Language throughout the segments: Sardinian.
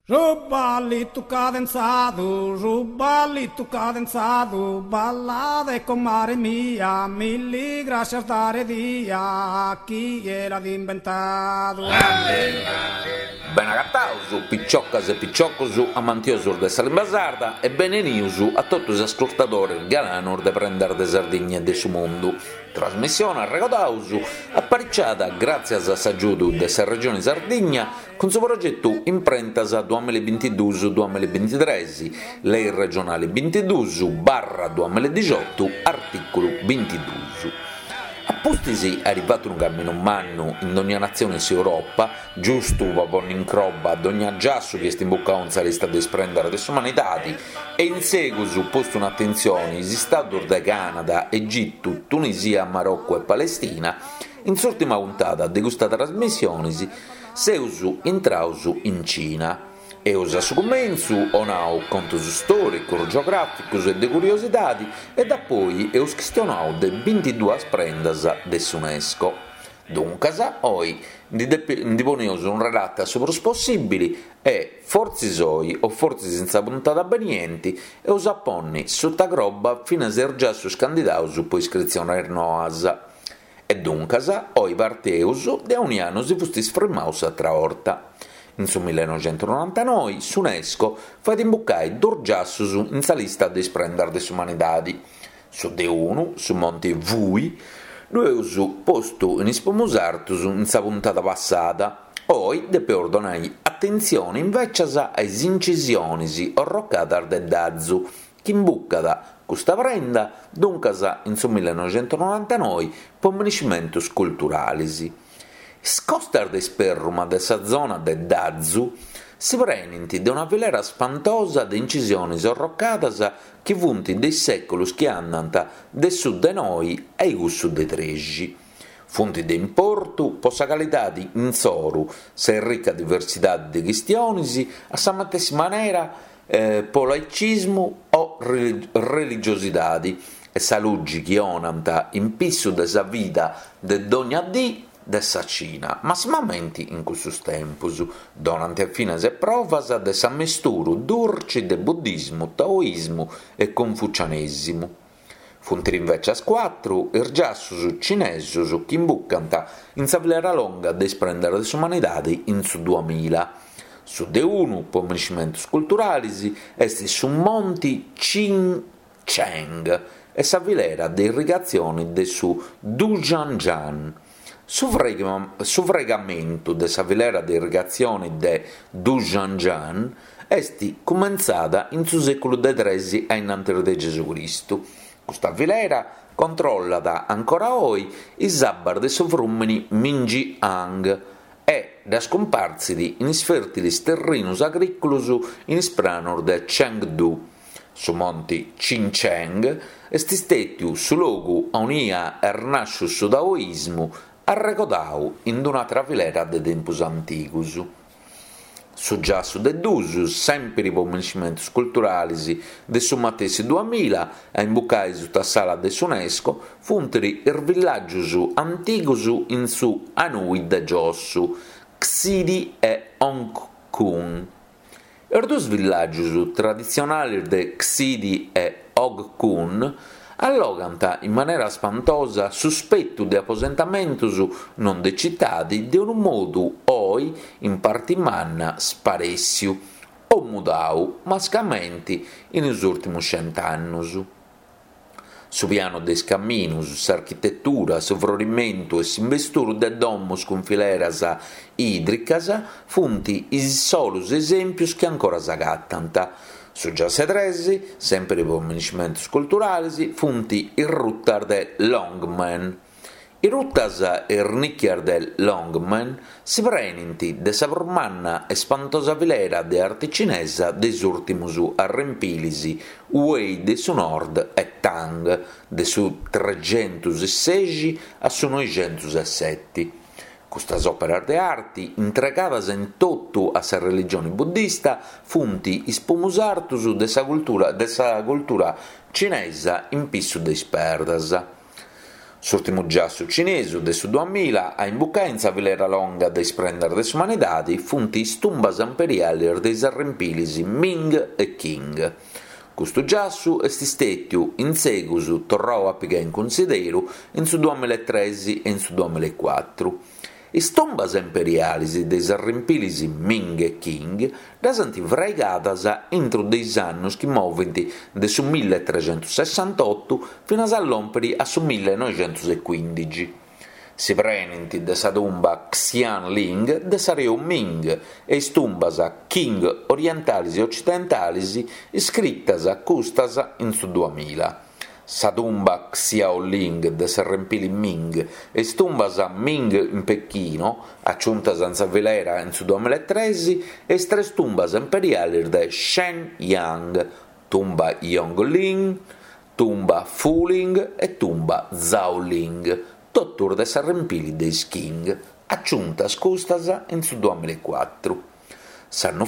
Su ballitu cadenzadu, su ballitu cadenzadu, ballade comare mia, milli grascias dare dia, chie l'at imbentadu. Bene agataus, piciocas e piciocos amantiosos de sa limba sarda e bene 'enius a totu is ascurtadores galanos de Prendas de Sardigna e de su Mundu. Trasmissione, arregodaus, apariciada gràtzias a s'agiudu de sa Regioni Sardigna cun su progetu Imprentas duamilla e bintiduus duamilla e bintitres, Lei regionali bintiduus barra duamilla e dixiotu, artìculu bintiduus. A pustis airi fatu unu caminu mannu in dogna natzione 'e s'Europa, giustu po ponni in croba dogna giassu chi est imbucau in sa lista de is prendas de s'umanidadi e in segus postu in atentzioni is istadus de Canada, Egitu, Tunisia, Marocu e Palestina, in s'ùrtima puntada de custa trasmissioni seus intraus in Cina. Eus a su cumentzu 'onau contus stòricus, geogràficus e de curiosidadi e dapoi eus chistionau de bintiduas prendas de s'Unesco. Duncas, oi ndi poneus un relata su prus possìbili e, fortzis oi o fortzis in sa puntada benienti, eus a ponni suta croba finas is giassus candidaus po iscritzionis noas. E duncas, oi parteus de aunia nosi fustis frimaus s'atra 'orta. In su millenoixentunonantanoi s'Unesco fait imbucai dus giassus in sa lista de is prendas de s'umanidadi. Su de unu, su Monti Wuyi, ddu eus postu in is primus artus in sa puntada passada. Oi depeus donai atentzioni invècias a is incisionis orrocadas de Dazu, chi imbucat custa prenda duncas in su millenoixentunonantanoi po miniscimentus culturalis. Is costas de ispèrruma de sa zona de Dazu si prenint de una filera spantosa de incisionis orrocadas chi funt de is sèculus chi andant de su de noi a-i cussu de trexi. Funt de importu po sa calidadi insoru, sa errica diversidadi de chistionis, a sa matessi manera po laicismu o religiosidadi e sa lugi chi 'onant in pissu de sa vida de dogna dì de sa Cina, massimamenti in cussus tempus. Donant finas provas de s'ammesturu durci de buddismu, taoismu e confucianesimu. Funt invècias cuatru is giassus cinesus chi imbucant in sa filera longa de is prendas de s'umanidadi in su duamilla. Su de unu, po miniscimentus culturalis, est su Monti Qingcheng e sa filera de irrigatzioni de su Dujiangyan. Su fraigamentu de sa filera de irrigatzioni de Dujiangyan est cumentzada in su sèculu de tres a innantis de Gesù Cristu. Custa filera controllat ancora oi is abbas de su frùmini Minjiang e ddas cumpartzit in is fèrtilis terrinus agrìculos in is pranos de Chengdu. Su monti Qingcheng est stètiu su logu aunia est nàsciu su taoismu, arregodau in d-un'atra filera de tempus antigus. Su giassu de dus, sèmpiri po miniscimentus culturalis de su matessi duamilla, a imbucai suta s'ala de s'Unesco, funt is villàgius antigus in su Anhui de giossu, Xidi e Hongcun. Is dus villàgius traditzionalis de Xidi e Hongcun allogant in manera spantosa su spetu de aposentamentus non de citadi de unu modu oi in parti manna sparèssiu o mudau mascamenti in is ùrtimus cent'annus. Su pianu de is caminus, s'architetura, su frorimentu e s'imbesturu de domus cun fileras ìdricas funt is solus esèmpius chi ancora s'agatant. Su giassu 'e tres, sèmpiri po miniscimentus culturalis, funt is rutas de Longmen. Is rutas e is nìchias de Longmen si prenint de sa prus manna e spantosa filera de arti cinesa de is ùrtimus arrempilis Wei de su Nord e Tang, de su trexentus e sexi a su noixentus e seti. Custas òperas de arti, intregadas in totu a sa religioni buddista, funt is pumus artus de sa cultura de sa cultura cinesa in pissu de is perdas. S'ùrtimu giassu cinesu de su duamilla a imbucai in sa filera longa de is prendas de s'umanidadi funt is tumbas imperialis de is arrempilis Ming e Qing. Custu giassu est stètiu in segus torrau a pigai in cunsideru in su duamillaetres e in su duamillaecuatru. Is tumbas imperialis de is arrempilis Ming e Qing ddas ant fraigadas intru de is annus chi movint de su milletrecentussessantotu finas a lòmpiri a su millenoixentusecuìndixi. Si prenint de sa tumba Xianling de s'areu Ming e is tumbas Qing orientalis e ocidentalis iscritas custas in su duamilla. Sa tumba Xiaoling de s'arrempili Ming e is tumbas Ming in Pechino, aciuntas in sa filera in su duamillaetres, e is tres tumbas imperialis de Shenyang, tumba Yongling, tumba Fuling e tumba Zhaoling, totus de s'arrempili de is Qing, aciuntas custas in su duamillaecuatru. S'annu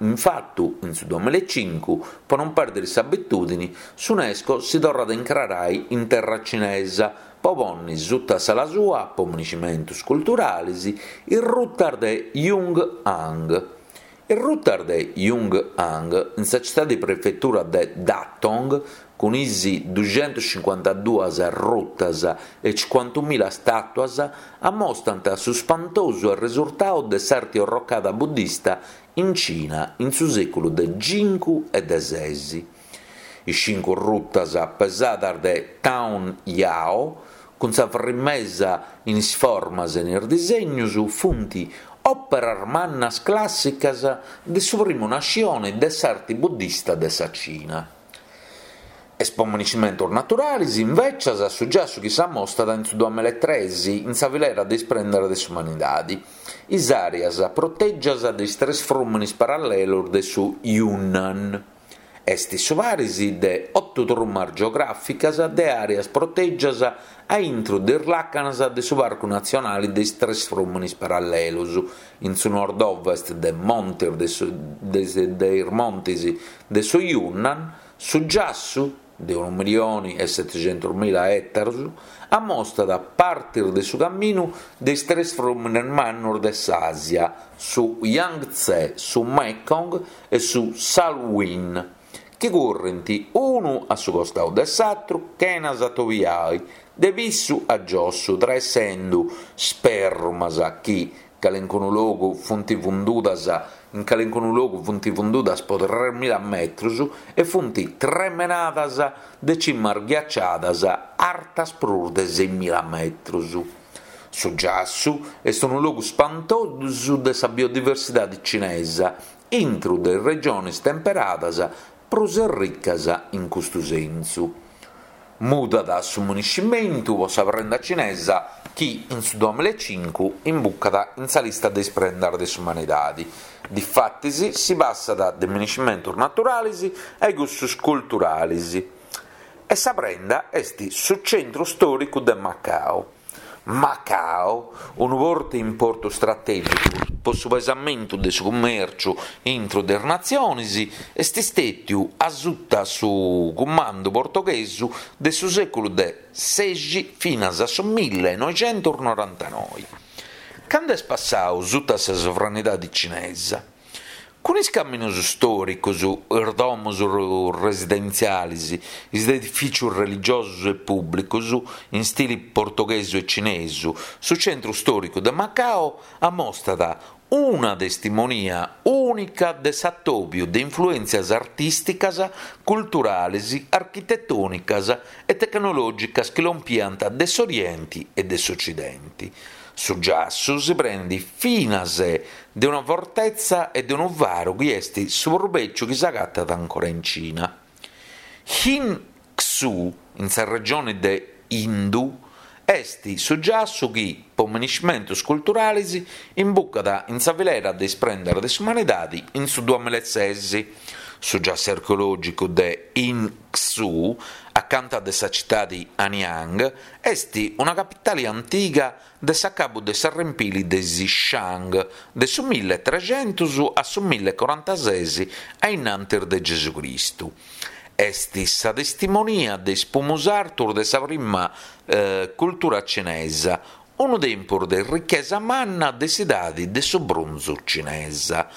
in fatu, in su duamillaecincu, po non pèrdiri s'abitùdini, s'Unesco si torrat a incrarai in terra cinesa po ponni suta s'ala sua, po miniscimentus culturalis, is rutas de Yong'an. Is rutas de Yong'an, in sa citadi-prefetura de Datong, Cun is duxentuscincuantaduas rutas e cincuantumila stàtuas ammostant su spantosu arresurtau de s'arti orrocada buddista in Cina in su sèculu de cincu e de ses. Is cincu rutas pesadas de Tang Yao, cun sa frimesa in is formas e in is disegnus, funt òperas mannas clàssicas de su primu nascioni de s'arti buddista de sa Cina. Est po miniscimentus naturalis, invècias, su giassu chi s'ammostat in su duamillaetres in sa filera de is prendas de s'umanidadi, is àreas protègias de is tres frùminis parallelus de su Yunnan. Est su paris de otu trumas geogràficas de àreas protègias a intru de is làcanas de su Parcu Natzionali de is Tres Frùminis Parallelus, in su nord-ovest de montes de su de is montes de su Yunnan, su giassu, de unu milioni e setixentusmila ètaros, ammostat partes de su caminu de is tres frùmines mannos de s'Àsia, su Yangtze, su Mekong e su Salween, chi currint unu a su costau de s'atru chena s'atobiai, de pissu a giossu, traessendu spèrrumas chi calencunu logu funt fundudas in calencunu logu funt fundudas po tresmila metrus e funt tremenadas de cimas ghiaciadas artas prus de seimila metrus. Su giassu est unu logu spantosu de sa biodiversidadi cinesa, intru de is regionis temperadas prus erricas in custu sensu. Mudat su miniscimentu po sa prenda cinesa chi in su duamillaecincu imbucat in sa lista de is prendas de s'umanidadi. Difatis si passat de miniscimentus naturalis a cussus culturalis e sa prenda est su centru stòricu de Macao. Macao, unu portu de importu stratègicu po su pesamentu de su cummèrciu intru de is natziones, est stètiu a suta su cumandu portoghesu de su sèculu de sexi finas a su millenoixentusnorantanoi, candu est passau suta sa sovranidadi cinesa. Cun is caminus stòricus, is domus residentzialis, is edifìcius religiosus e pùblicus in stili portoghesu e cinesu, su centru stòricu de Macao amostat una testimonia ùnica de s'atòbiu de influèntzias artìsticas, culturalis, architetònicas e tecnològicas chi lompiant de s'Orienti e de s'Ocidenti. Su giassu si prenit finas de una fortetza e de unu faru chi est su prus bèciu chi s'agatat ancora in Cina. Hin Xu, in sa regione de Yindu, est su giassu chi, po miniscimentos culturales, imbucat in sa filera de is prendas de s'umanidade in su duamillaeses. Su giassu archeològicu de Hin Xu, acanta de sa citade Anyang, est una capitale antiga de s'acabu de s'arrempili de is Shang, de su milletrescentus a su millecorantases a innantis de Gesu Cristu. Est sa testimonia de is pumus artus de sa prima cultura cinesa, unu tempus de richesa manna de s'idadi de su brunzu cinesa.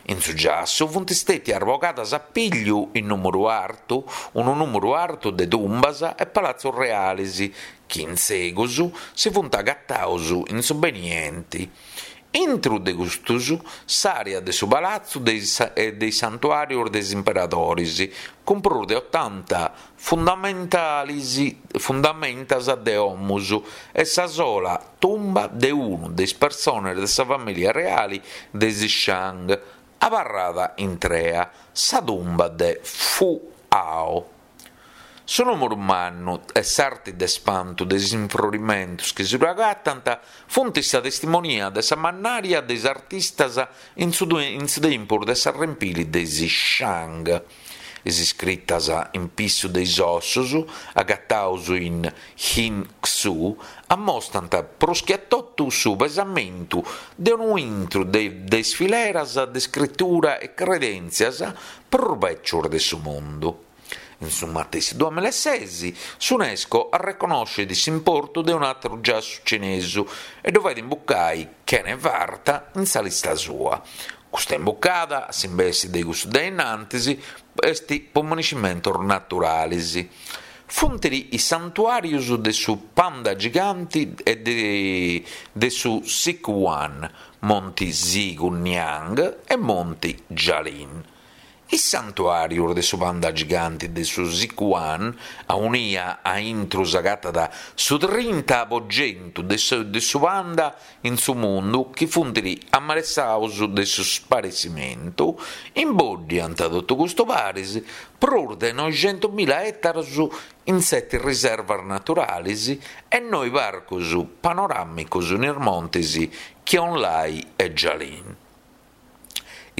In su giassu funt stètias bogadas a pigliu in nùmuru artu unu nùmuru artu de tumbas e palatzus realis chi in segus si funt agataus in su benienti. Intru de custus s'àrea de su palatzu e de is santuàrius de is imperadoris, cun prus de otanta fundamentalis fundamentas de domus e sa sola tumba de unu de is persones de sa famìlia reali de is Shang, abarrada intrea, sa tumba de Fu Hao. Su nùmuru mannu e s'arti de spantu de is infrorimentus chi si ddu agatant funt sa testimonia de sa mannària de is artistas in su in su tempus de s'arrempili de is Shang. Is iscritas in pissu de is ossus agataus in Hin Xu ammostant prus che a totu su pesamentu de unu intru de is fileras de scritura e credèntzias prus bècius de su mundu. In su matessi duamillases, s'Unesco arreconnoscit s'importu de un'àteru giassu cinesu e ddu fait imbucai chene farta in sa lista sua. Custa imbucada, a s'imbessi de cussu de innantis, est po moniscimentos naturalis. Funt is santuàrius de su panda giganti e de su Sichuan, Monti Siguniang e Monti Jialin. Is santuàrius de su panda giganti de su Sichuan, aunia a intru s'agatat su trinta po centu de su panda in su mundu chi funt amalessaus de su sparessimentu, imboddiant totu custu paris prus de noixentumila ètaros in seti riservas naturalis e noi parcos panoràmicos in is montes Qionglai e Jialin.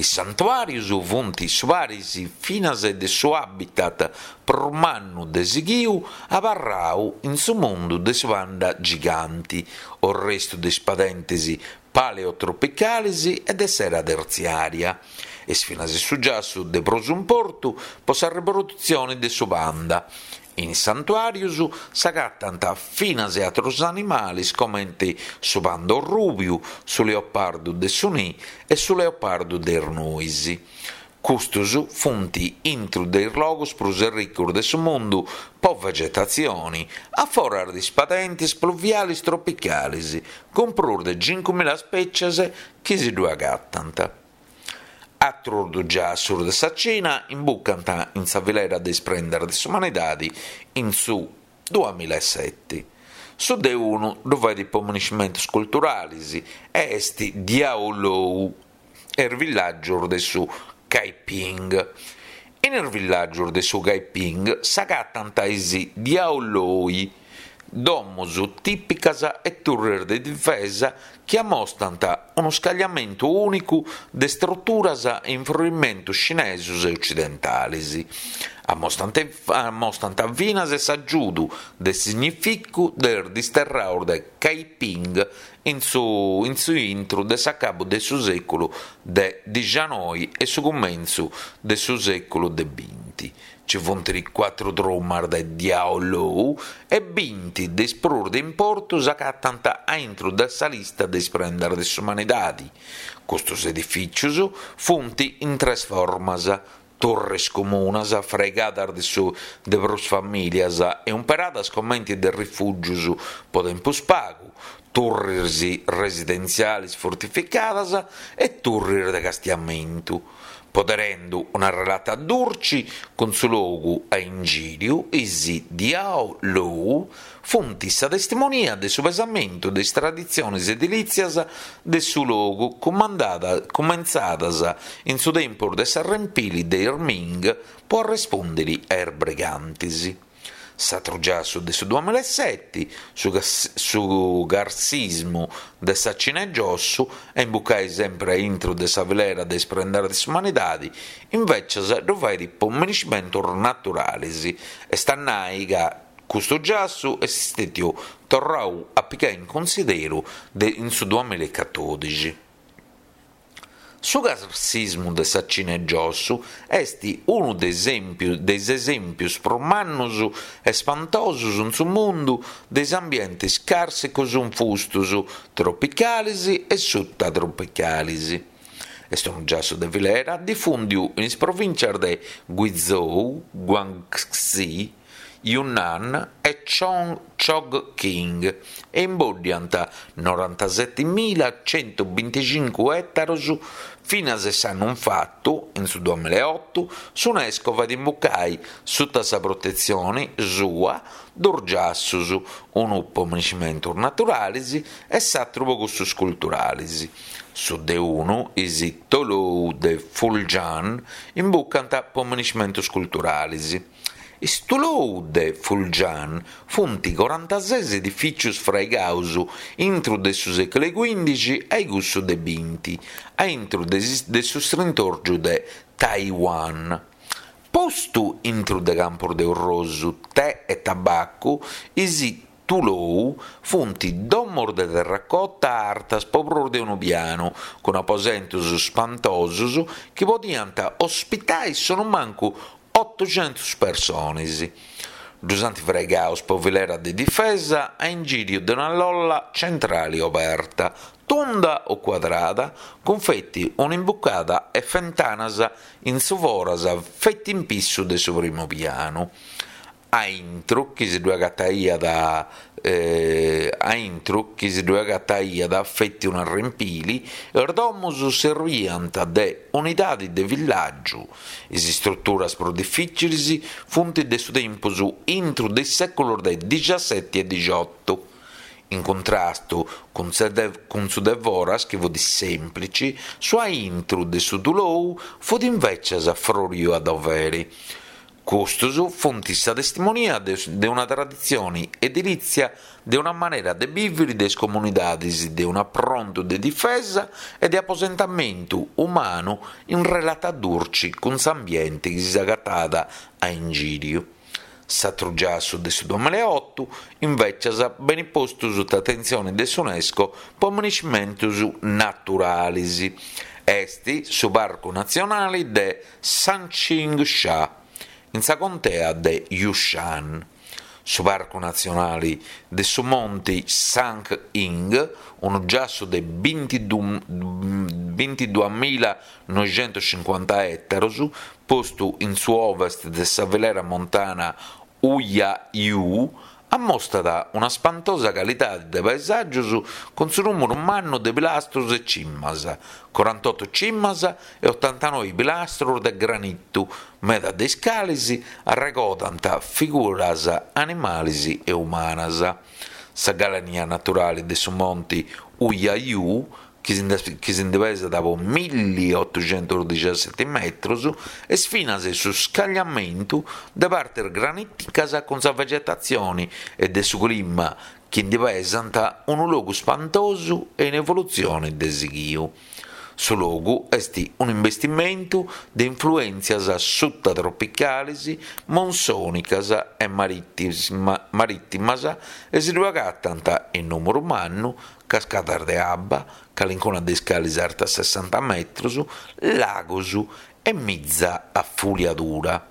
Is santuàrius funt su paris finas de su habitat prus mannu de sighiu abarrau in su mundu de su panda giganti, orrestu de is padentes paleotropicalis e de s'era tertziària. Est finas su giassu de prus importu po sa riprodutzione de su panda. In is santuàrius s'agatant finas e àterus animales comente su panda orrùbiu, su leopardu de su nì e su leopardu de is nuis. Custus funt intru de is logus prus erricus de su mundu po vegetatzioni, a foras de is padentes pluviales tropicales, cun prus de cincumila spècies chi si ddu agatant. Atrus dus giassus de sa Cina imbucant in sa filera de is prendas de s'umanidadi in su duamillaeseti. Su de unu ddu fait po moniscimentus culturalis e est Diaolou e is villàgius de su Kaiping. In is villàgius de su Kaiping s'agatant is Diaolou, Domus tìpicas e turres de difesa chi amostant unu scagliamentu ùnicu de struturas e infrorimentos cinesos e ocidentales. Amostant amostant finas s'agiudu de significu de is disterrados de Kaiping in su in su intru de s'acabu de su sèculu de dixanoi e su cumentzu de su sèculu de binti. Ci funt cuatru trumas de Diaolou e binti de is prus de importu s'agatant a intru de sa lista de is prendas de s'umanidadi. Custus edifìcius funt in tres formas, turris comunas fraigadas de su de prus famìlias e umperadas comenti de rifùgius po tempus pagu, turris residentzialis fortificadas e turris de castiamentu. Poderendu una relata durci cun su logu a ingìriu, is Diaolou funt sa testimonia de su pesamentu de is traditziones edilìtzias de su logu cumentzadas in su tempus de s'arrempili de is Ming po arrespùndiri a is brigantis. S'atru giassu de su duamillaeseti, su su carsismu de sa Cina 'e giossu, a imbucai sempri a intru de sa filera de is prendas de s'umanidadi, invecias ddu fait po miniscimentus naturalis, est a nai ca custu giassu est stetiu torrau a pigai in cunsideru de in su duamillaecatodixi. Su carsismu de sa Cina 'e giossu est unu de is esèmpius prus mannus e spantosus in su mundu de is ambientis càrsicus infustus, tropicalis e sutatropicalis. Est unu giassu de filera difùndiu in is provìntzias de Guizhou, Guangxi, Yunnan e Chongqing e imboddiant norantasetimila centubinticincu ètaros finas e s'annu infatu, in su duamilaeotu, s'Unesco fait imbucai suta sa protetzioni sua dus giassus, unu po miniscimentus naturalis e s'atru po cussus culturalis. Su de unu, is Tulou de Fuljian, imbucant po miniscimentus culturalis. Is Tulou de Fuljian funt corantases edifìcius fraigaus intru de su sèculu 'e cuìndixi a cussu de binti, a intru de su strintòrgiu de Taiwan. Postu intru de campus de orrosu, tè e tabacu, is Tulou funt domos de terracota artas po prus de unu pianu, cun aposentus spantosus chi podiant ospitai sonumancu otuxentus personis. Ddus ant fraigaus po filera de difesa a ingìriu de una lolla centrali oberta, tunda o cuadrada, cun feti un'imbucada e fentanas in su foras feti in pissu de su primu pianu. A intru chi si ddue agataiat a intru chi si ddue agataiat feti un'arrempili, is domus serbiant de unidadi de villàgiu. Is istruturas prus difìcilis funt de su tempus intru de is sèculos de dixaseti e dixotu. In cuntrastu cun su de foras chi fut sèmplici, su a intru de su tulou fut invècias froriu a doveri. Custus funt sa testimonia de una traditzioni edilìtzia, de una manera de bìviri de is comunidadis, de un'aprontu de difesa e de aposentamentu umanu in relata durci cun s'ambienti chi s'agatàt a ingìriu. S'atru giassu de su duamilaeotu, invècias, benit postu suta atentzioni de s'Unesco po miniscimentus naturalis. Est su Parcu Natzionali de Sanqingsha, in sa contea de Yushan. Su Parcu Natzionali de su Monti Sanqing, unu giassu de bintiduamilannoixentuscincuanta ètaros, postu in su ovest de sa filera montana Huyayu, Ammostat una spantosa calidadi de paesàgius cun su nùmuru mannu de pilastrus e cimas, corantotu cimas e otantanoi pilastrus de granitu, meda de is calis arregodant figuras animalis e umanas. Sa galania naturali de su monti Huyayu chi si ndi pesat po milliotuxentusdixaseti metrus, est finas su scagliamentu de partes granìticas cun sa vegetatzioni e de su clima chi ndi pesant unu logu spantosu e in evolutzioni de sighiu. Su logu est un'imbestimentu de influèntzias sutatropicalis, monsònicas e marìtimas e si ddu agatant in nùmuru mannu cascadas de abba, calincuna de is calis artas sessanta metrus, lagos e mitza a fuliadura.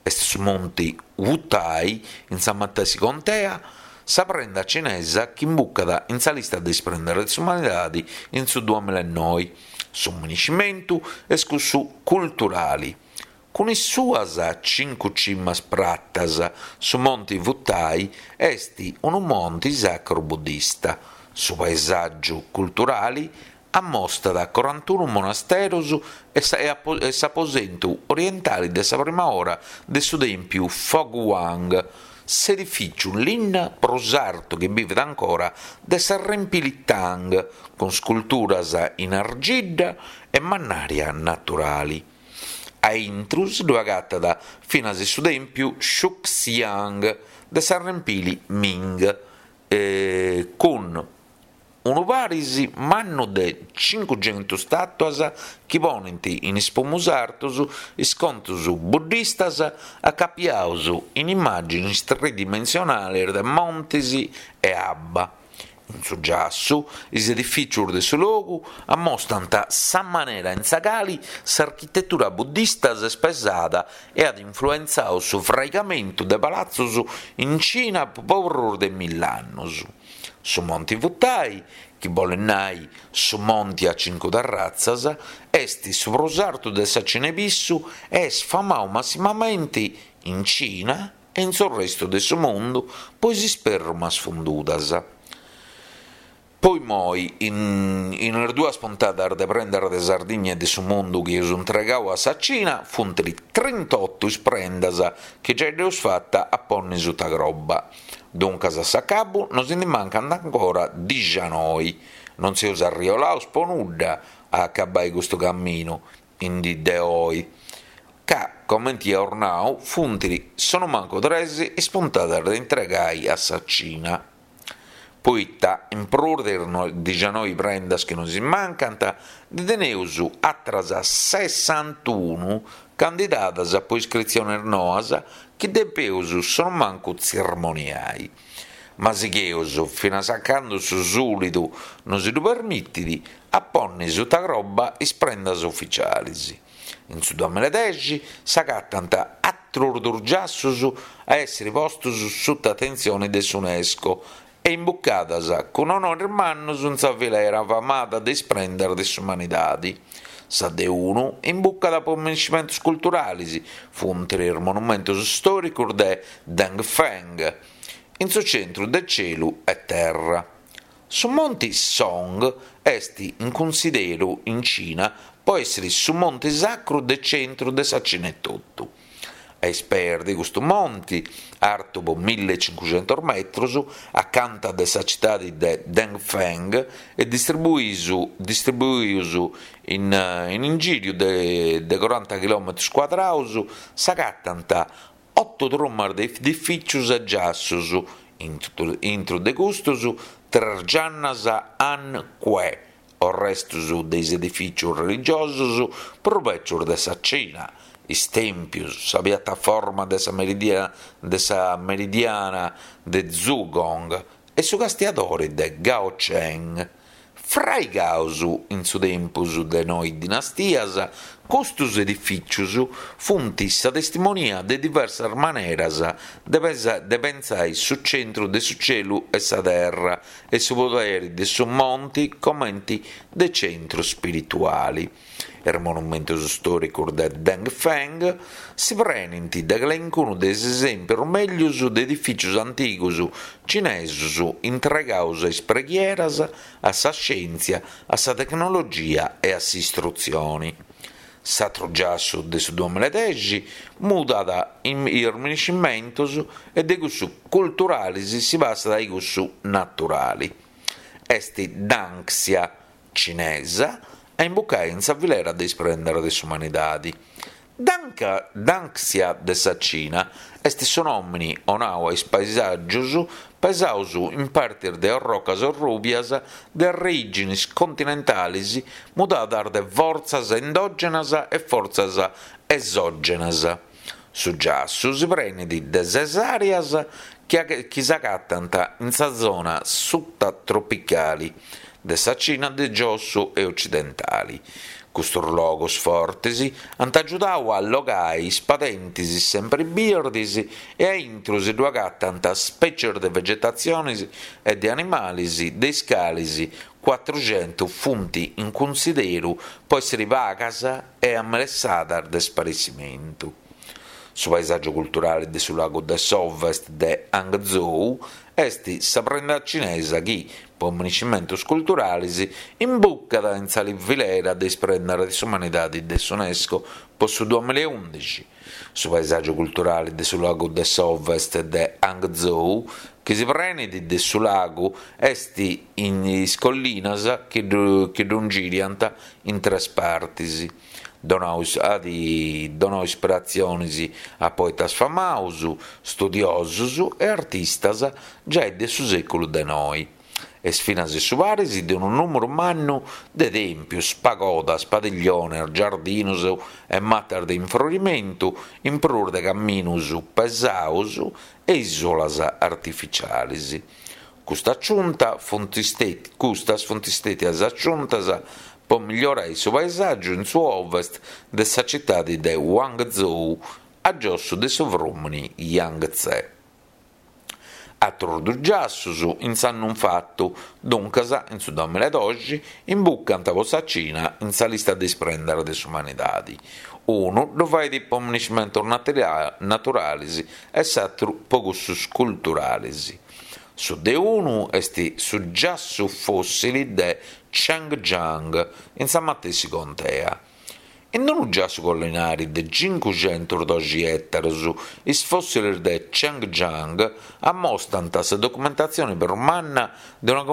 Est su monti Wutai, in sa matessi contea, sa prenda cinesa chi imbucat in sa lista de is prendas de s'umanidadi in su duamilaenoi. Su miniscimentu est cussu culturali. Cun is suas cincu cimas pratas, su Monti Wutai est unu monti sacru buddista. Su paesàgiu culturali ammostat corantunu monasteros e s'aposentu orientali de sa prima ora de su tèmpiu Foguang, s'edifìciu in linna prus artu chi bivet ancora de s'arrempili Tang, cun sculturas in argidda e mannària naturali. A intru si ddu agatat finas su tèmpiu Shuxiang de s'arrempili Ming, cun unu paris mannu de cincuxentus stàtuas chi ponint in is pumus artus is contus buddistas acapiaus in immàginis tridimensionalis de montis e abba. In su giassu, is edifìcios de su logu ammostant sa manera in sa cali s'architetura buddista s'est pesada e at influentzadu su fraigamentu de palatzos in Cina po prus de mill'annos. Su Monti Wutai, chi bolet nai su monti a cincu terratzas, est su prus artu de sa Cina 'e pissu e est famadu massimamenti in Cina e in su restu de su mundu po is isperrumas fundudas. Po immoi, in is duas puntadas de Prendas de Sardigna e de su Mundu chi eus intregau a sa Cina, funt trintotu is prendas chi giai dd'eus fata a ponni suta croba. Duncas a s'acabu nos ndi mancant ancora dixanoi. Non seus arriolaus po nudda a acabai custu caminu in dì de oi, ca, comenti eus nau, funt sonumancu tres is puntadas de intregai a sa Cina. Poita, in prus de is dixanoi prendas chi nos mancant, ndi teneus atras sessantunu candidadas po iscritziones noas chi depeus sonumancu tzirmoniai. Ma sigheus, finas a candu su sulidu nosi ddu permitit, a ponni suta croba is prendas uficialis. In su duamiladexi s'agatant atrus dus giassus a èssiri postus suta atentzioni de s'Unesco e imbucadas cun onoris mannus in sa filera famada de is prendas de s'umanidadi. Sa de unu imbucat po minescimentus culturalis, funt is monumentus stòricus de Dengfeng, in su centru de celu e terra. Su monti Song est in cunsideru in Cina po èssiri su monti sacru de centru de sa Cina etotu. A is peis de custu monti, artu po millecincuxentus metrus, acanta de sa citadi de Dengfeng e distribuius in ingìriu de coranta chilòmetrus cuadraus, s'agatant Otu trumas de edifìcios e giassos, intru de custos tres giannas Han Que, orrestos de is edifìcios religiosos prus bècios de sa Cina, is tèmpios, sa piataforma de sa de sa meridiana de Zhugong e su castiadore de Gaocheng. Fraigados in su tempus de noi dinastias, custos edifìcios funt sa testimonia de diversas maneras de pentzai su centru de su celu e sa terra e su poderi de su monti comenti de centru spirituali. Is monumentos stòricos de Dengfeng si prenint de calencunu de is esèmpios mègius de edifìcios antigos cinesos intregados a is preghieras, a sa scièntzia, a sa tecnologia e a s'istrutzione. S'atru giassu de su duamiladexi mudat is minescimentos e de cussu culturales si passat a cussu naturale. Est Danxia, cinesa, a imbucai in sa filera de is prendas de s'umanidadi. Danca, Danxia de sa Cina est su nòmini 'onau a is paisàgius pesaus in partis de orrocas orrùbias de arreìginis continentalis mudadas de fortzas endògenas e fortzas esògenas. Su giassu si prenit de ses àreas chi s'agatant in sa zona sutatropicali de sa Cina de giossu e ocidentali. Custos logos fortes ant agiudadu a allogai is padentis sempri birdis e a intro si ddu agatant spècies de vegetatziones e de animales de is cales cuatruxentu funt in cunsideru po èssere pagas e amelessadas de sparessimentu. Su paesàgiu culturale de su lagu de s'Ovest de Hangzhou est sa prenda cinesa chi, po minescimentos culturales, imbucat in sa filera de is prendas de s'umanidade de s'Unesco po su duamilaundixi. Su paesàgiu culturale de su lagu de s'Ovest de Hangzhou, chi si prenit de su lagu, est in is collinas chi ddu ingiriant in tres partis. Donau at donau ispiratzionis a poetas famaus, studiosus e artistas giai de su sèculu de noi. Est finas su paris de unu nùmeru mannu de tèmpios, pagodas, padigliones, giardinos e matas de infrorimentu, in prus de caminus pesaus e ìsolas artificialis. Custa aciunta funt custas funt stètias aciuntas po migliorai su paesàgiu in su ovest de sa citadi de Guangzhou, a giossu de su frùmini Yangtze. Atrus dus giassus, in s'annu infatu, duncas in su duamilla e doxi, imbucant po sa Cina in sa lista de is prendas de s'umanidadi. Unu ddu fait po miniscimentus naturalis e s'atru po cussus culturalis. Su de unu est su giassu fòssili de Chengjiang, in sa matessi contea. In unu giassu collinari de cincuxentusdoxi ètaros, is fòssilis de Chengjiang ammostant sa documentatzione prus manna de una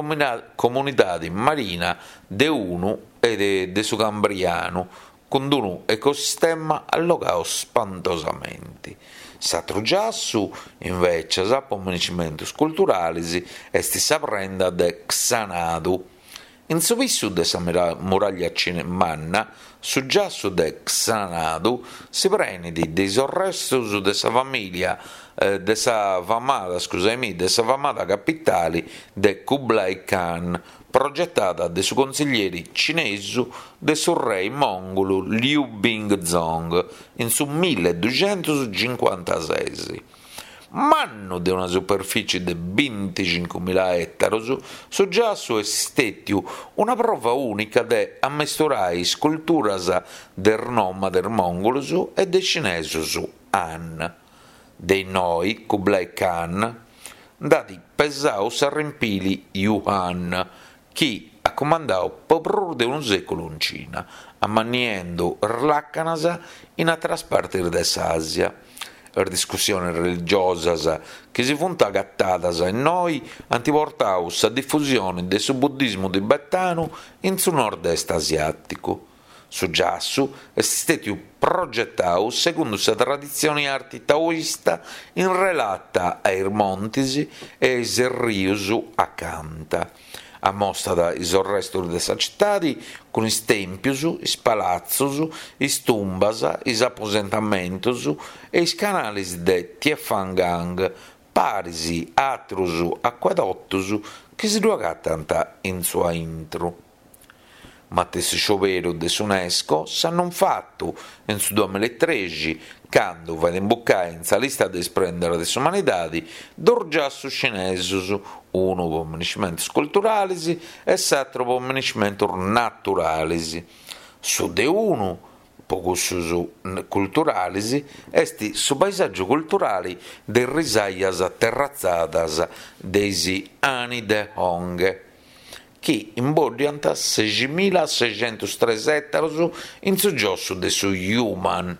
comunidade marina de unu e de su Cambrianu, cun unu ecosistema allogau spantosamenti. S'atru giassu, invècias, po miniscimentus culturalis, est sa prenda de Xanadu. In su pissu de sa muraglia manna, su giassu de Xanadu si prenit de is orrestus de sa famìlia de sa famada scusaimì de sa famada capitali de Kublai Khan, progetada de su consillieri cinesu de su rei mòngulu Liu Bingzong in su milleduxentuscincuantases. Mannu de una superfici de binticincumila ètaros, su giassu est stètiu una prova ùnica de ammesturai is culturas de is nòmades mòngulus e de is cinesus Han. De innoi Kublai Khan nd'at pesau s'arrempili Yuan, chi at cumandau po prus de unu sèculu in Cina, amanniendu is làcanas in àteras partis de s'Àsia. Is discussiones religiosas chi si funt agatadas innoi ant portau sa difusione de su buddismu tibetanu in su nord-est asiàticu. Su giassu est stètiu progetau segundu sa traditzioni arti taoista in relata a is montis e a is rius acanta. Amostat is orrestus de sa citadi cun is tèmpius, is palatzus, is tumbas, is aposentamentus e is canalis de Tiefangang, paris a atrus acuedotus chi si ddu agatant in su aintru. Matessi scioberu de s'Unesco s'annu infatu, in su duamillaetrexi, candu fait imbucai in sa lista de is prendas de s'umanidadi dus giassus cinesus, unu po miniscimentus culturalis e s'atru po miniscimentus naturalis. Su de unu, po cussus culturalis, est su paesàgiu culturali de is risajas terratzadas de is Hani de Honghe. chi imboddiant seximilasexentustres ètaros in su giossu de su Yuman.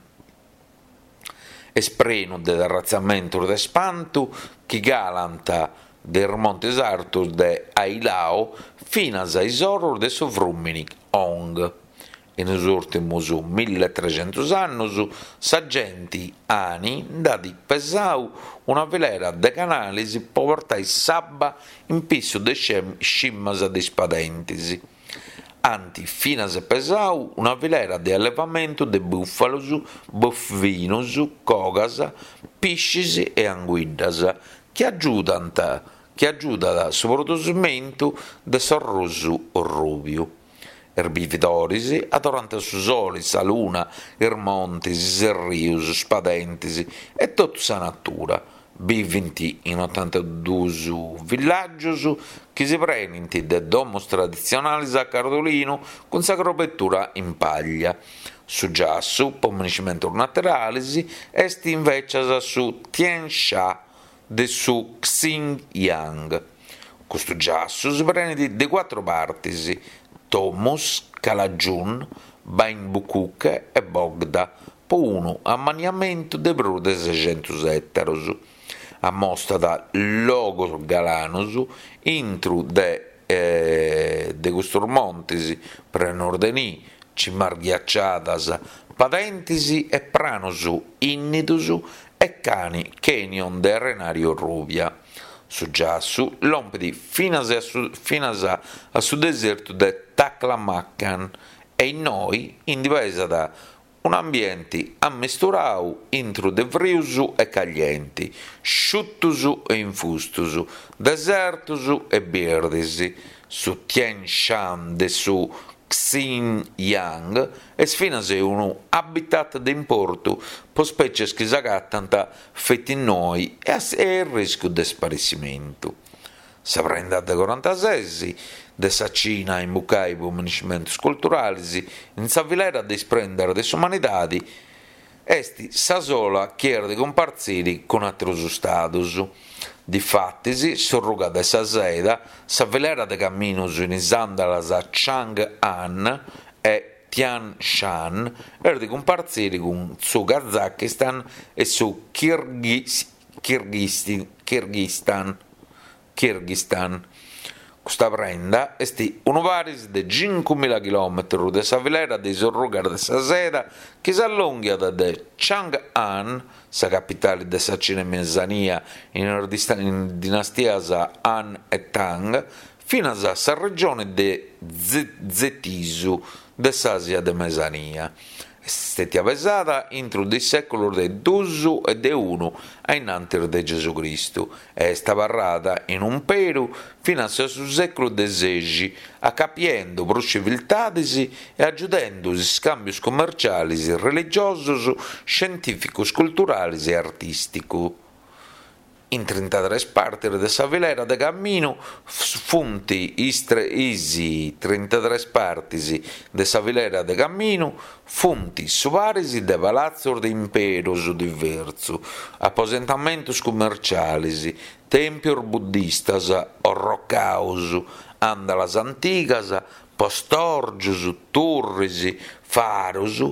Est prenu de terratzamentos de spantu chi calant de is montes artos de Ailao finas a is oros de su frùmini Hong. In is ùrtimus milletrescentus annus sa genti Hani nd'at pesau una filera de canalis po portai s'abba in pissu de cimas de is padentis. Ant finas pesau una filera de allevamentu de bùfalus, bovinus, cogas, piscis e anguiddas chi agiudant chi agiudat su produsimentu de s'arrosu orrùbiu. Is bividoris adorant su soli, sa luna, is montis, is errius, is padentis e totu sa natura. Bivint in otantadus villàgius chi si prenint de domus traditzionalis a cardolinu cun sa crobetura in paglia. Su giassu, po miniscimentus naturalis, est invècias su Tiansha de su Xinjiang. Custu giassu si prenit de cuatru partis, Tomus, Kalajun, Bain Bucuke e Bogda, po unu ammaniamentu de prus de sexentus ètaros. Ammostat logos galanos intru de de custos montes prenos de nì, cimas ghiaciadas, padentis e pranos ìnnidos e cani canyon de arenàriu orrùbia. Su giassu lompit finas a su finas a su desertu de Taklamakan e innoi indi pesat. Un'ambienti ammisturau intru de frius e caglienti, sciutus e infustus, desertus e birdis. Su Tian Shan de su Xinjiang est finas unu habitat de importu po spècies chi s'agatant feti innoi e a arriscu de sparessimentu. Sa prenda de corantases de sa Cina a imbucai po miniscimentus culturalis in sa filera de is prendas de s'umanidadi est sa sola chi est de cumpartziri cun atrus stadus. Difatis, s'orruga de sa seda, sa filera de caminus in is andalas Chang An e Tian Shan est de cumpartziri cun su Kazakistan e su Kirghizistan. Kirghizistan. Custa prenda est unu paris de cincumila chilòmetrus de sa filera de is orrugas de sa seda chi s'allònghiat de Chang'an, sa capitali de sa Cina 'e Mesania in is dinastias Han e Tang, finas a sa regioni de Zetisu de s'Àsia de Mesania. Est stètia pesada intru de is sèculus de dus e de unu a innantis de Gesù Cristu e est abarrada in umperu finas a su sèculu de sexi, acapiendu prus civiltadis e agiudendu is scàmbius cummercialis, religiosus, scientìficus, culturalis e artìsticus. In trintatres partis de sa filera de caminu funt is trintatres partis de sa filera de caminu funt su paris de palatzus de imperus diversus, aposentamentus cummercialis, tèmpius buddistas orrocaus, andalas antigas, postòrgius, turris, farus,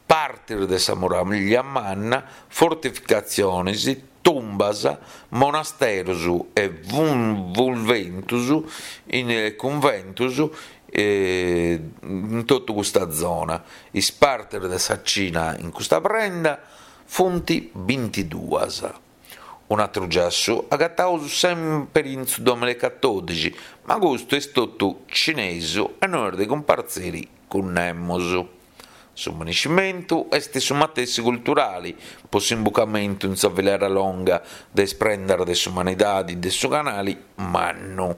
partis de sa muràllia manna, fortificatzionis, tumbas, monasterus e cunventus in cunventus in totu custa zona. Is partis de sa Cina in custa prenda funt bintiduas. Un'atru giassu agataus sempri in su duamilla e catodixi, ma custu est totu cinesu e no est de cumpartziri cun nemus. Su miniscimentu est su matessi culturali po s'imbucamentu in sa filera longa de is prendas de s'umanidadi de su Canali Mannu.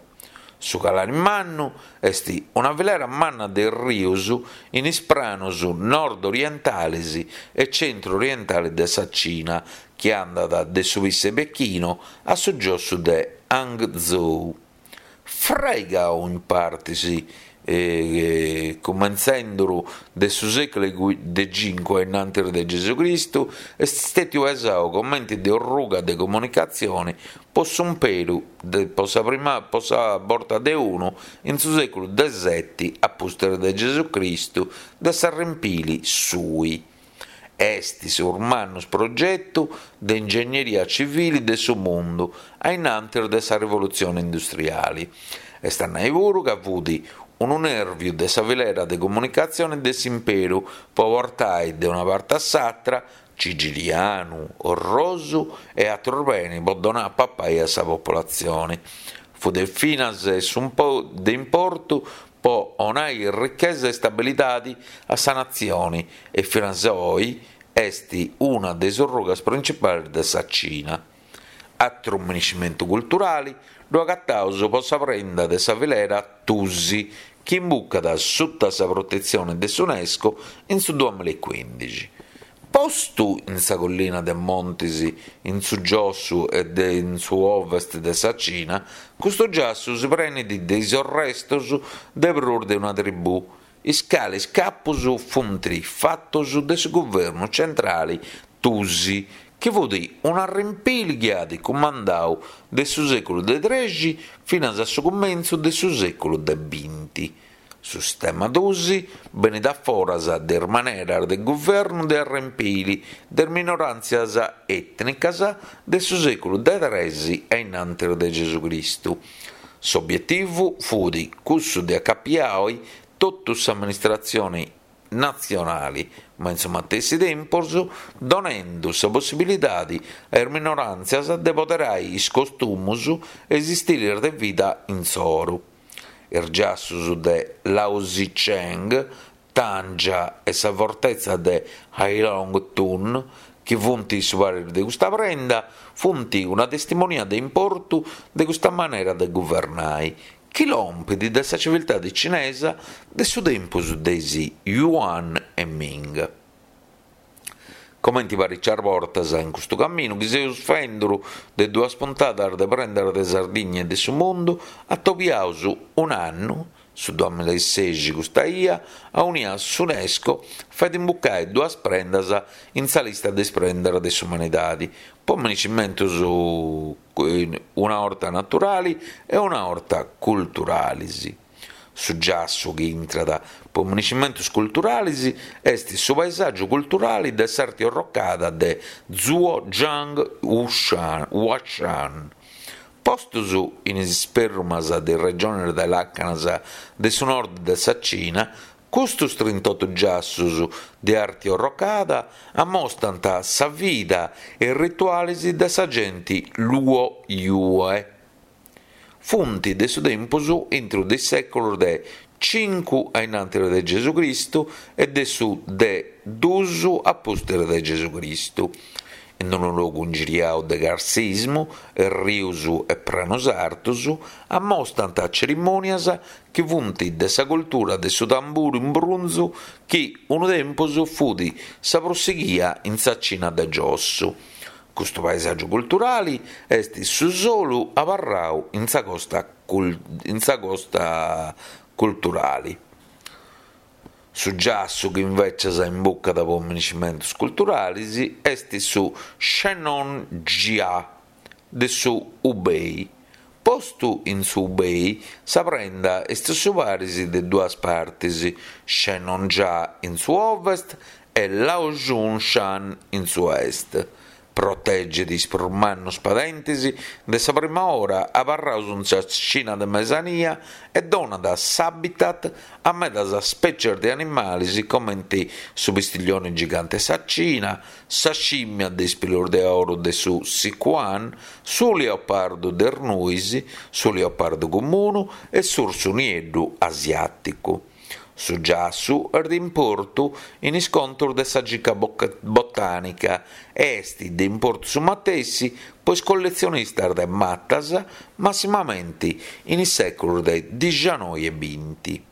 Su Canali Mannu est una filera manna de rius in is pranus nord-orientales e centru-orientales de sa Cina chi andat de su Pisse Pechino a su giossu de Hangzhou. Fraigau in partis cumentzenduru de su sèculu de cincu a innantis de Gesù Cristu, est stètiu pesau comenti de orruga de comunicatzioni po s'umperu po sa prima po sa borta de unu in su sèculu de seti a pustis de Gesù Cristu de s'arrempili Sui. Est su prus mannu progetu de ingegneria civili de su mundu a innantis de sa rivolutzione industriali. Est a nai puru ca fut unu nèrviu de sa filera de comunicatzione de s'imperu po portai de una parti a s'atra cigilianu, orrosu e atrus benis po donai a papai a sa popolatzioni. Fut finas de importu po 'onai richesa e stabilidadi a sa natzioni e finas oi est una de is orrugas principalis de sa Cina. Atru miniscimentu culturali ddu agataus po sa prenda de sa filera Tusi chi imbucat suta sa protetzioni de s'Unesco in su duamilla e cuindixi. Postu in sa collina de montis in su giossu e de in su ovest de sa Cina, custu giassu si prenit de is orrestos de prus de una tribù, is cales capos funt fatos de su guvernu centrale Tusi, chi fut un'arrempili chi at cumandau de su sèculu de trexi finas a su cumentzu de su sèculu de binti. Su sistema Tusi benit a foras de is maneras de guvernu de arrempili de is minoràntzias ètnicas de su sèculu de tresi a innantis de Gesù Cristu. S'obietivu fut cussu de acapiai totu s'amministratzione natzionali, ma in su matessi tempus donendu sa possibilidadi a is minoràntzias de poderai is costumus e is istilis de vida insoru. Is giassus de Laosicheng. Tangia e sa fortetza de Hailongtun, chi funt su paris de custa prenda, funt una testimonia de importu de custa manera de guvernai, chi lompit de sa civiltadi cinesa de su tempus de is Yuan e Ming. Comenti paricias bortas in custu caminu chi seus fenduru de duas puntadas de Prendas de Sardigna e de su Mundu, atobiaus un'annu, su duamillaesexi custa ia, aunia s'Unesco fait imbucai duas prendas in sa lista de is prendas de s'umanidadi, po miniscimentus una 'orta naturali e una 'orta culturalis. Su giassu chi intrat po miniscimentus culturalis est su paesàgiu culturali de s'arti orrocada de Zuojiang Huashan. Postus in is sperrumas de is regionis de làcanas de su nord de sa Cina, custus trintotu giassus de arti orrocada ammostant sa vida e is ritualis de sa genti Luo Yue. Funt de su tempus intru de is sèculus de cincu a innantis de Gesù Cristu e de su de dus a pustis de Gesù Cristu. In unu logu ingiriau de carsismu, errius e pranus artus, ammostant cerimònias chi funt de sa cultura de su tamburu in brunzu chi unu tempus fut sa prus sighia in sa Cina de giossu. Custu paesàgiu culturali est su solu abarrau in sa costa in sa costa culturali. Su giassu chi invècias imbucat po miniscimentus culturalis est su Shennongjia de su Hubei. Postu in su Hubei, sa prenda est su paris de duas partis, Shennongjia in su ovest e Laojun Shan in su est. Protegit is prus mannus padentis de sa prima ora abarraus in sa Cina de Mesania e donat s'habitat a medas spècias de animalis comenti su pistiglioni gigante 'e sa Cina, sa scìmmia de is pilus de oru de su Sichuan, su liopardu de is nuis, su liopardu comunu e s'ursu nieddu asiàticu. Su giassu est de importu in is contus de sa circa botànica e est de importu su matessi po is colletzionistas de matas, massimamenti in is sèculus de dixianoi e binti.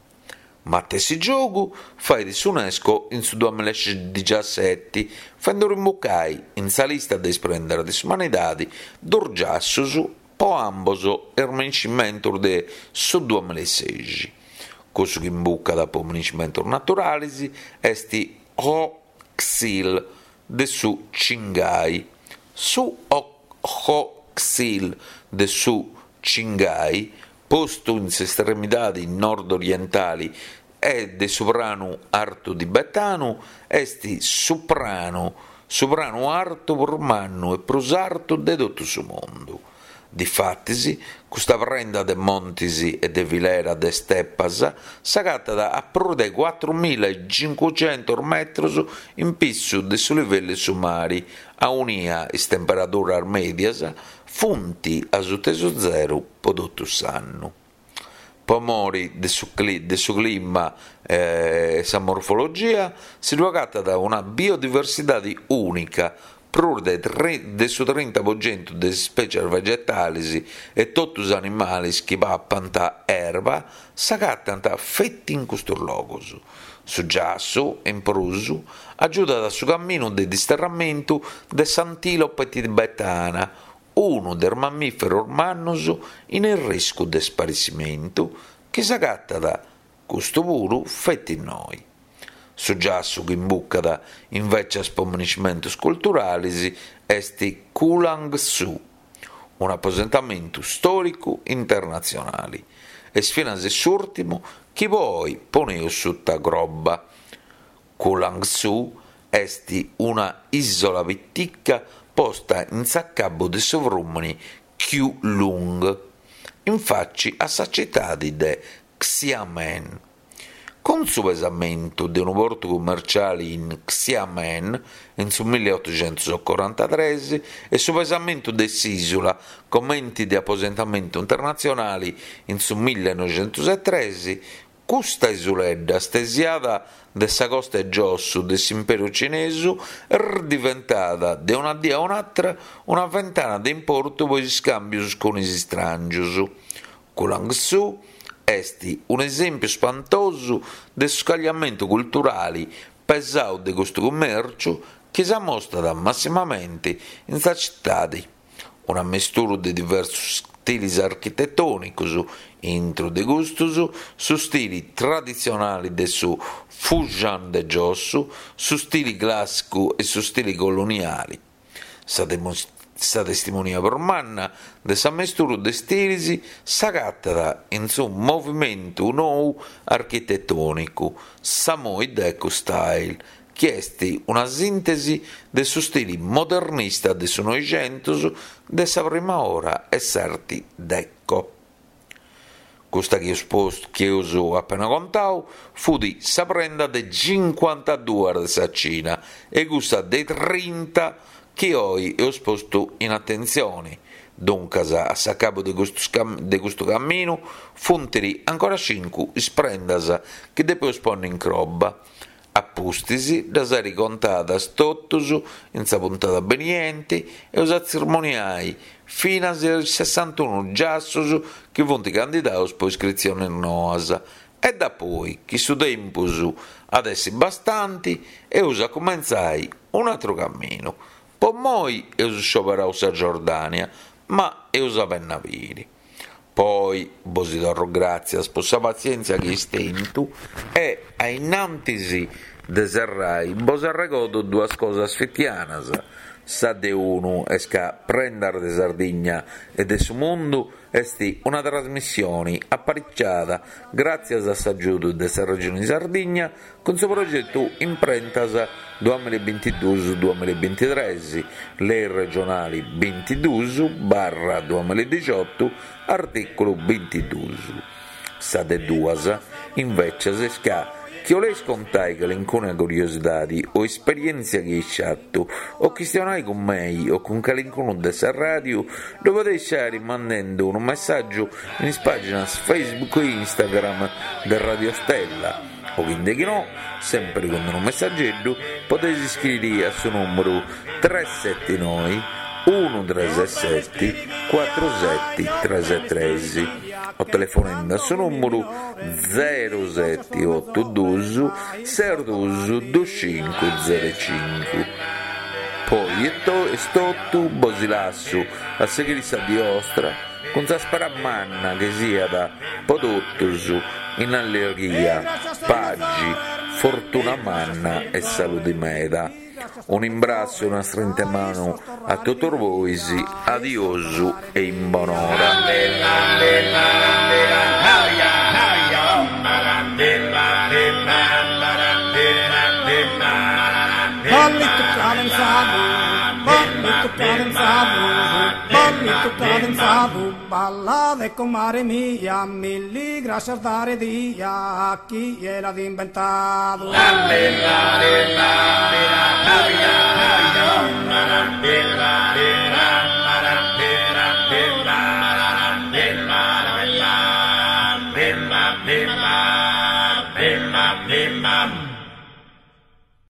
Matessi giogu fait s'Unesco in su duamillaedixiaseti, fenduru imbucai in sa lista de is prendas de s'umanidadi dus giassus po ambos is miniscimentus de su duamillaesexi. Cussu chi imbucat po miniscimentus naturalis est Hoh Xil de su Qinghai. Su Hoh Xil de su Qinghai Postu in s'estremidadi nord-orientali e de su pranu artu tibetanu, est su pranu su pranu artu prus mannu e prus artu de totu su mundu. Difatis, custa prenda de montis e de filera de stepas s'agatat a prus de cuatrumilla e cincucentus metros in pissu de su livellu 'e su mari, aunia is temperaduras mèdias funt asuta 'e su zeru po totu s'annu. Po mori de su de su clima e sa morfologia si ddu agatat una biodiversidadi ùnica, prus de de su trinta po centu de is spècias vegetalis e totu is animalis chi papant erba s'agatant feti in custus logus. Su giassu, in prus, agiudat su caminu de disterramentu de s'antìlope tibetana, unu de is mammìferos mannus in arriscu de sparissimentu, chi s'agatat, custu puru, feti innoi. Su giassu chi imbucat invècias po miniscimentus culturalis est Kulangsu, un'aposentamentu stòricu internatzionali. Est finas s'ùrtimu chi po oi poneus suta croba. Kulangsu est una ìsola pitica posta in s'acabu de su frùmini Keelung, in faci a sa citadi de Xiamen. Cun su pesamentu de unu portu cummerciali in Xiamen in su milliotoxentuscorantatres e su pesamentu de s'ìsula comenti de aposentamentu internatzionali in su millenoxentusetres, Custa isuledda stesiada de sa costa 'e giossu de s'imperu cinesu est diventada de una dì a un'atra una fentana de importu po is scambius cun is strangius. Kulangsu est un'esempiu spantosu de su scagliamentu culturali pesau de custu cumèrciu chi s'amostat massimamenti in sa citadi. Un'ammesturu de diversus stilis architetònicus, intru de custus su stili traditzionali de su Fujian de giossu, su stili clàssicu e su stili coloniali. Sa Sa testimonia prus manna de s'ammesturu de stilis s'agatat in su movimentu nou architetònicu, s'Amoy Deco Style, chi est una sìntesi de su stili modernista de su Noixentus de sa prima ora e s'arti deco. Custa chi eus postu, chi eus apena contau, fut sa prenda de cincuantaduas de sa Cina e cussa de trinta chi oi eus postu in atentzioni. Duncas, a s'acabu de de custu caminu funt ancora cincu is prendas chi depeus ponni in croba. A pustis ddas airi contadas totus in sa puntada benienti eus a tzirmoniai finas is sessantunu giassus chi funt candidaus po iscritzionis noas e dapoi chi su tempus at essi bastanti eus a cumentzai un'atru caminu. Po immoi eus scioberau sa Giordania ma eus a benni a biri. Poi bosi torro gràtzias po sa patzièntzia chi eis tentu e, a innantis de serrai, bos arregodo duas cosas fitianas, sa de unu est ca Prendas de Sardigna e de su Mundu est una trasmissioni apariciada gràtzias a s'agiudu de sa Regioni Sardigna Cun su progetu Imprentas duamilla e bintiduus duamilla e bintitres, Lei regionali bintiduus barra duamilla e dixiotu, artìculu bintiduus. Sa de duas, invècias, est ca chi 'oleis contai calincuna curiosidadi o esperièntzia chi eis fatu o chistionai cun mei o cun calincunu de sa ràdiu, ddu podeis fai mandendu unu messàgiu in is pàginas Facebook e Instagram de Radio Stella. O chi ndechinò, sempri cun unu messageddu, podeis iscriri a su nùmeru tres seti noi unu tres seti cuatru seti tres tres o telefonendi a su nùmeru zeru seti otu dus ses dus dus cincu zeru cincu. Po oi est totu, bosi lassu a sighiri sa dì 'ostra. Cun sa spera manna chi siat po totus in allegria, paxi, fortuna manna e saludi meda. Un'imbrassu e una strinta 'e manu a totus bois, adiosu e in bonora. Ballitu cadenzadu, ballade comare mia, milli grascias dare dia a chie l'at imbentadu.